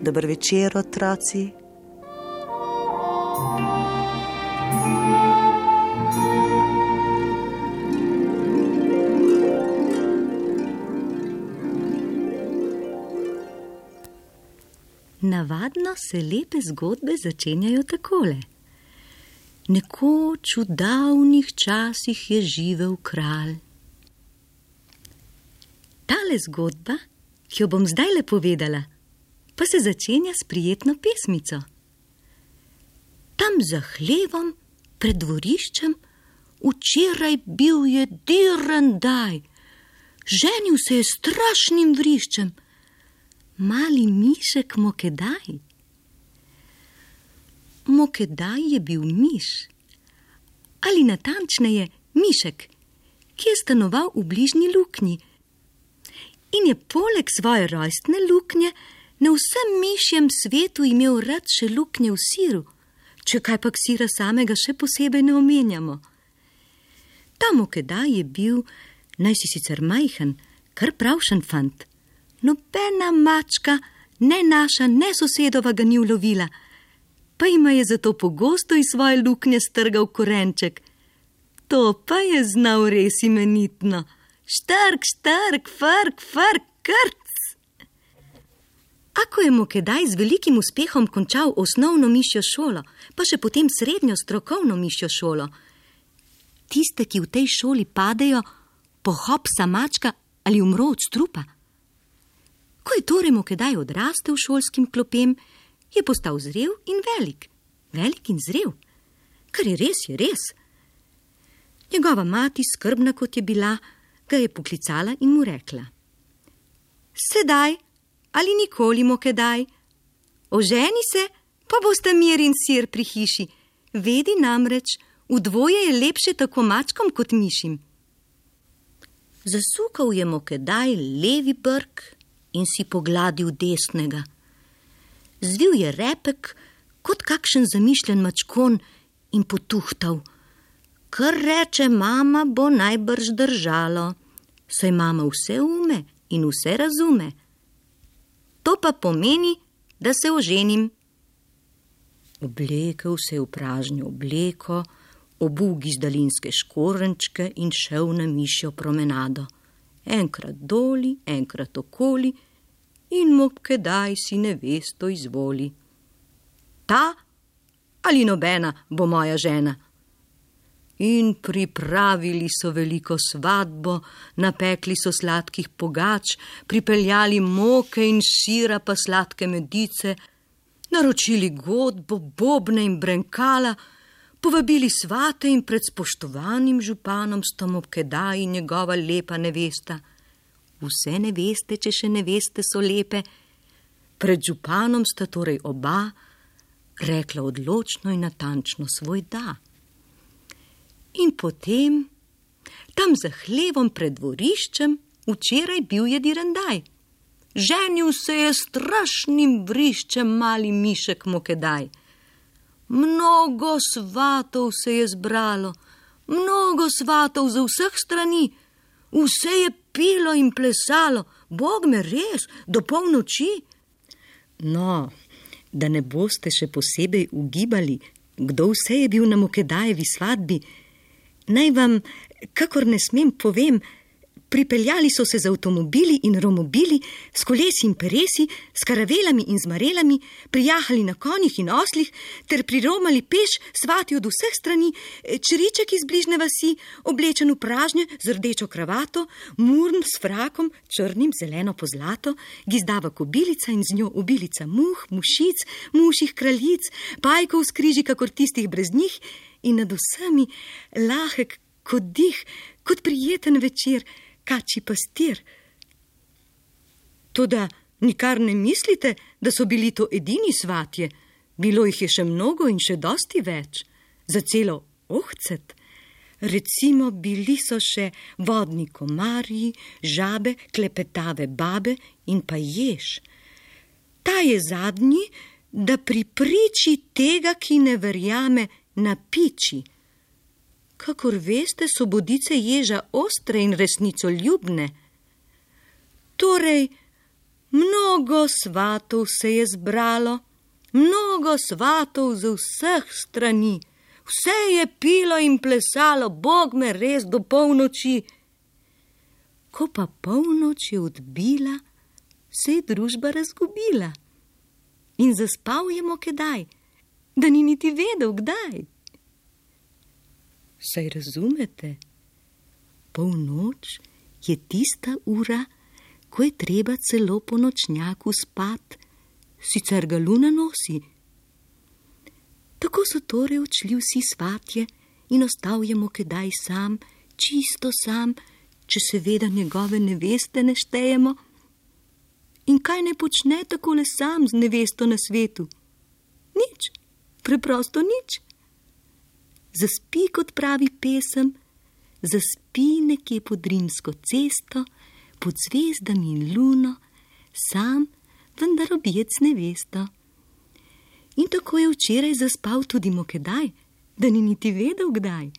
Dober večer, otroci. Navadno se lepe zgodbe začenjajo takole. Nekoč v davnih časih je živel kralj. Tale zgodba, ki jo bom zdajle povedala, pa se začenja s prijetno pesmico. Tam za hlevom, pred dvoriščem, včeraj bil je dirandaj. Ženil se je strašnim vriščem. Mali mišek Mokedaj. Mokedaj je bil miš, ali natančneje mišek, ki je stanoval v bližnji luknji in je poleg svoje rojstne luknje na vsem mišjem svetu imel rad še luknje v siru, če kajpak sira samega še posebej ne omenjamo. Ta Mokedaj je bil, naj si sicer majhen, kar pravšen fant. Nobena mačka, ne naša, ne sosedova ga ni ulovila, pa ima je zato pogosto iz svoje luknje strgal korenček. To pa je znal res imenitno. Štrk, štrk, frk, frk, krc. Ako je Mokedaj z velikim uspehom končal osnovno mišjo šolo, pa še potem srednjo strokovno mišjo šolo, tiste, ki v tej šoli padejo, pohopsa mačka ali umro od strupa. Ko je torej Mokedaj odrastel šolskim klopem, je postal zrel in velik. Velik in zrel. Kar je res. Njegova mati, skrbna kot je bila, ga je poklicala in mu rekla: Sedaj ali nikoli, Mokedaj, oženi se, pa bosta mir in sir pri hiši. Vedi namreč, v dvoje je lepše tako mačkom kot mišim. Zasukal je Mokedaj levi brk in si pogladil desnega. Zvil je repek kot kakšen zamišljen mačkon in potuhtal. Kar reče mama, bo najbrž držalo, saj mama vse ume in vse razume. To pa pomeni, da se oženim. Oblekel se je v pražnjo obleko, obul gizdalinske škorenčke in šel na mišjo promenado. Enkrat doli, enkrat okoli in Mokedaj si nevesto izvoli. Ta ali nobena bo moja žena. In pripravili so veliko svadbo, napekli so sladkih pogač, pripeljali moke in sira pa sladke medice, naročili godbo, bobne in brenkala, povabili svate in pred spoštovanim županom sta Mokedaj in njegova lepa nevesta. Vse neveste, če še neveste, so lepe. Pred županom sta torej oba rekla odločno in natančno svoj da. In potem, tam za hlevom pred dvoriščem, včeraj bil je dirandaj. Ženil se je strašnim vriščem mali mišek Mokedaj. Mnogo svatov se je zbralo, mnogo svatov za vseh strani. Vse je pilo in plesalo, Bog me res, do polnoči. No, da ne boste še posebej ugibali, kdo vse je bil na Mokedajevi svadbi, naj vam, kakor ne smem, povem, pripeljali so se z avtomobili in romobili, s kolesi in peresi, s karavelami in zmarelami, prijahali na konjih in oslih, ter priromali peš svati od vseh strani, čriček iz bližne vasi, oblečen v pražnje z rdečo kravato, murn s frakom, črnim, zeleno pozlato, gizdava kobilica in z njo obilica muh, mušic, muših kraljic, pajkov s križi kakor tistih brez njih in nad vsemi lahek kot dih, kot prijeten večer, kači pastir. Toda nikar ne mislite, da so bili to edini svatje. Bilo jih je še mnogo in še dosti več. Za celo ohcet. Recimo bili so še vodni komarji, žabe, klepetave babe in pa jež. Ta je zadnji, da pri priči tega, ki ne verjame, napiči. Kakor veste, so bodice ježa ostre in resnicoljubne. Torej, Mnogo svatov se je zbralo, mnogo svatov z vseh strani. Vse je pilo in plesalo, Bog me res do polnoči. Ko pa polnoč je odbila, se je družba razgubila. In zaspal je Mokedaj, da ni niti vedel, kdaj. Saj razumete, polnoč je tista ura, ko je treba celo po nočnjaku spat, sicer ga luna nosi. Tako so torej odšli vsi svatje in ostal je Mokedaj sam, čisto sam, če seveda njegove neveste ne štejemo. In kaj ne počne takole sam z nevesto na svetu? Nič, preprosto nič. Zaspi, kot pravi pesem, zaspi nekje pod Rimsko cesto, pod zvezdami in luno, sam, vendar objet z nevesto. In tako je včeraj zaspal tudi Mokedaj, da ni niti vedel, kdaj.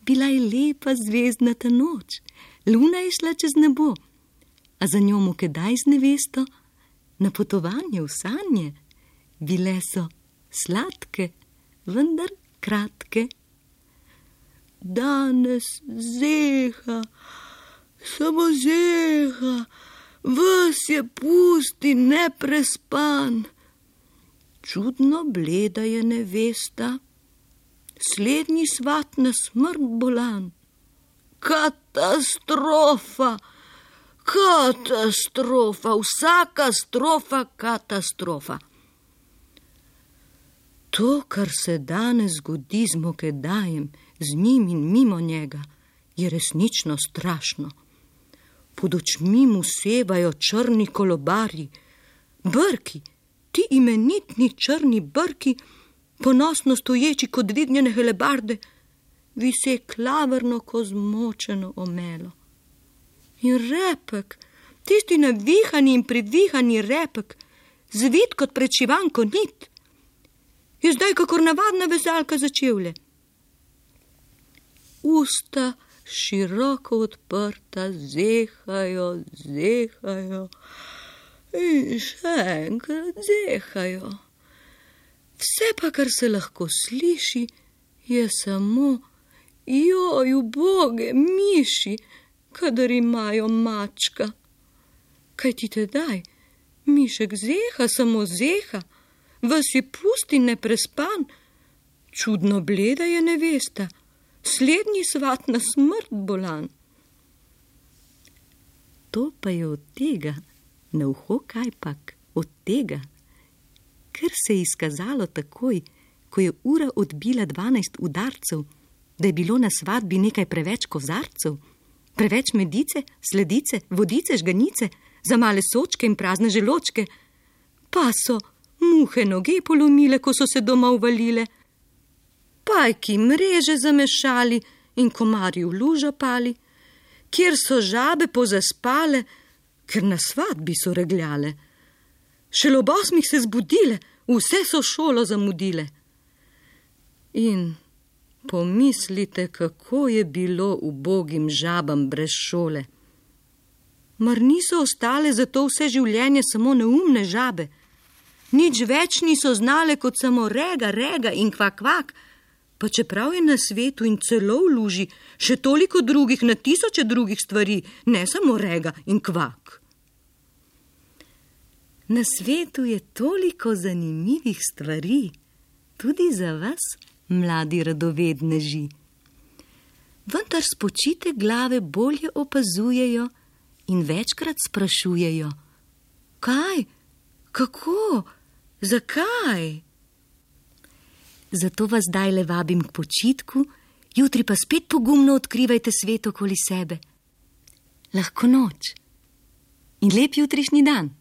Bila je lepa zvezdnata noč, luna je šla čez nebo, a za njo Mokedaj z nevesto na potovanje v sanje. Bile so sladke, vendar kratke. Danes zeha, samo zeha, ves je pust in neprespan. Čudno bleda je nevesta, slednji svat na smrt bolan. Katastrofa, katastrofa, vsaka strofa katastrofa. To, kar se danes zgodi z Mokedajem, z njim in mimo njega, je resnično strašno. Pod očmi mu sevajo črni kolobarji, brki, ti imenitni črni brki, ponosno stoječi kot dvignjene helebarde, vise klavrno ko zmočeno omelo. In repek, tisti navihani in privihani repek, zvit kot prečivanko nit, je zdaj kakor navadna vezalka za čevlje. Usta široko odprta, zehajo, zehajo in še enkrat zehajo. Vse pa, kar se lahko sliši, je samo joj, uboge miši, kadar imajo mačka. Kaj ti tedaj? Mišek zeha, samo zeha, ves je pust in neprespan. Čudno bleda je nevesta, slednji svat na smrt bolan. To pa je od tega, na uho kajpak, od tega, ker se je izkazalo takoj, ko je ura odbila 12 udarcev, da je bilo na svatbi nekaj preveč kozarcev, preveč medice, sledice, vodice, žganice, za male sočke in prazne želočke, pa so muhe noge polomile, ko so se doma uvalile, pajki mreže zamešali in komarji v lužo pali, kjer so žabe pozaspale, ker na svatbi so regljale. Šele ob 8 se zbudile, vse so šolo zamudile. In pomislite, kako je bilo ubogim žabam brez šole. Mar niso ostale zato vse življenje samo neumne žabe? Nič več niso znale kot samo rega, rega in kvak, kvak, pa čeprav je na svetu in celo v luži še toliko drugih, na tisoče drugih stvari, ne samo rega in kvak. Na svetu je toliko zanimivih stvari, tudi za vas, mladi radovedneži. Vendar spočite glave bolje opazujejo in večkrat sprašujejo: kaj, kako, zakaj? Zato vas zdajle vabim k počitku, jutri pa spet pogumno odkrivajte svet okoli sebe. Lahko noč in lep jutrišnji dan.